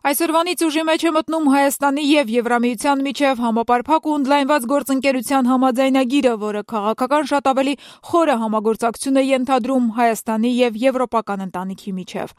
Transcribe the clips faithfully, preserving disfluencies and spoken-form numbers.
Այսօրվանից ուժի մեջ է մտնում Հայաստանի եւ Եվրամիության միջև համապարփակ ու ընդլայնված գործընկերության համաձայնագիրը, որը քաղաքական շատ ավելի խորը համագործակցություն է ենթադրում Հայաստանի եւ եվրոպական ընտանիքի միջև։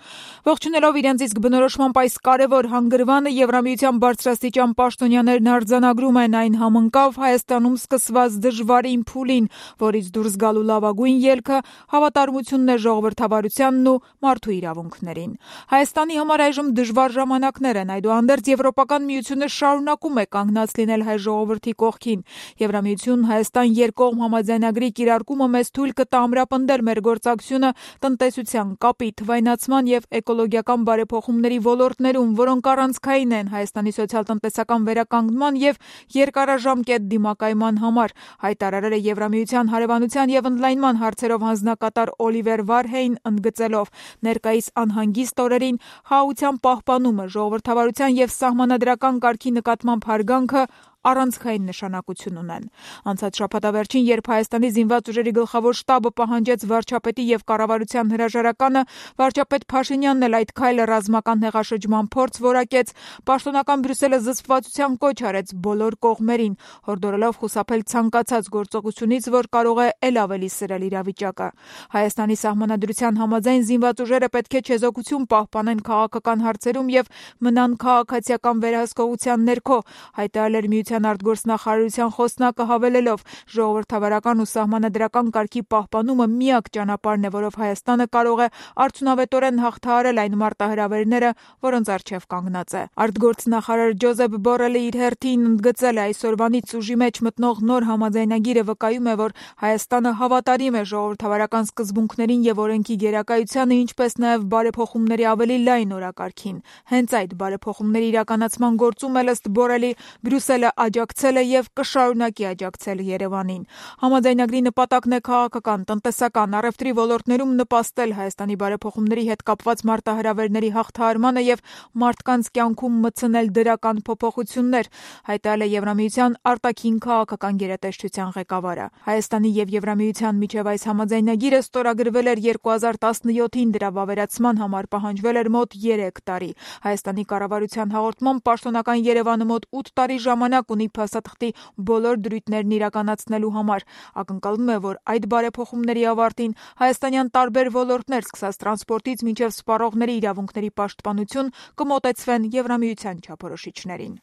Ողջունելով իրենց իսկ բնորոշմամբ այս կարևոր հանգրվանը, Եվրամիության բարձրաստիճան պաշտոնյաներն արձանագրում են այն համընկավ Հայաստանում սկսված դժվարին փուլին, որից դուրս գալու լավագույն ելքը հավատարմությունն է ժողովրդավարությանն ու մարդու իրավունքներին։ Հայաստանի համար այժմ դժվար ժամանակ Այդուհանդերձ Եվրոպական միությունը շարունակում է կանգնած լինել հայ ժողովրդի կողքին։ Եվրամիություն-Հայաստան երկկողմ համաձայնագրի կիրարկումը մեզ թույլ կտա ամրապնդել մեր գործակցությունը տնտեսության, կապի, թվայնացման եւ էկոլոգիական բարեփոխումների ոլորտներում, որոնք առանցքային են Հայաստանի սոցիալ-տնտեսական վերականգնման եւ երկարաժամկետ դիմակայման համար, հայտարարել է Եվրամիության հարևանության եւ ընդլայնման հարցերով հանձնակատար Օլիվեր Վարհեյն, ընդգծելով ներկայիս անհանգիստ օրերին խաղաղության պահպանումը, ժողովրդավարության եւ սահմանադրական կարգի նկատմամբ հարգանքը առանցքային նշանակություն ունեն։ Անցած շաբաթավերջին, երբ Հայաստանի զինված ուժերի գլխավոր շտաբը պահանջեց վարչապետի եւ կառավարության հրաժարականը, վարչապետ Փաշինյանն էլ այդ քայլը ռազմական հեղաշրջման փորձ որակեց, պաշտոնական Բրյուսելը զսպվածության կոչ արեց բոլոր կողմերին, հորդորելով խուսափել ցանկացած գործողությունից, որ կարող է ել ավելի սրել իրավիճակը։ Հայաստանի սահմանադրության համաձայն զինված ուժերը պետք է չեզոքություն պահպանեն քաղաքական հարցերում եւ մնան քաղաքացիական վերահսկողության ներքո, հայտարարել էր արտգործնախարարության խոսնակը, հավելելով ժողովրդավարական ու սահմանադրական կարգի պահպանումը միակ ճանապարհն է, որով Հայաստանը կարող է արդյունավետորեն հաղթահարել այն մարտահրավերները, որոնց առջև կանգնած է։ Արտգործնախարար Ջոզեփ Բորելը իր հերթին ընդգծել է այսօրվանից ուժի մեջ մտնող նոր համաձայնագիրը վկայում է, որ Հայաստանը հավատարիմ է ժողովրդավարական սկզբունքներին եւ օրենքի գերակայությանը, ինչպես նաեւ բարեփոխումների ավելի լայն օրակարգին։ Հենց այդ բարեփոխումների իրականացման գործում էլ ըստ Բորելի Բրյուսելը աջակցել է եւ կշարունակի աջակցել Երևանին։ Համաձայնագրի նպատակն է քաղաքական, տնտեսական, առևտրի ոլորտներում նպաստել Հայաստանի բարեփոխումների հետ կապված մարտահրավերների հաղթահարմանը եւ մարդկանց կյանքում մտցնել դրական փոփոխություններ, հայտարարել է Եվրամիության արտաքին քաղաքական գերատեսչության ղեկավարը։ Հայաստանի եւ Եվրամիության միջև այս համաձայնագիրը ստորագրվել էր երկու հազար տասնյոթին, դրա վավերացման համար պահանջվել էր մոտ երեք տարի։ Հայաստանի կառավարության հաղորդմամբ պաշտոնական Երևանը մոտ ութ տարի ժամանակ ունի փաստաթղթի բոլոր դրույթներն իրականացնելու համար։ Ակնկալվում է, որ այդ բարեփոխումների ավարտին հայաստանյան տարբեր ոլորտներ, սկսած տրանսպորտից մինչև սպառողների իրավունքների պաշտպանություն, կմոտեցվեն Եվրամիության չափորոշիչներին։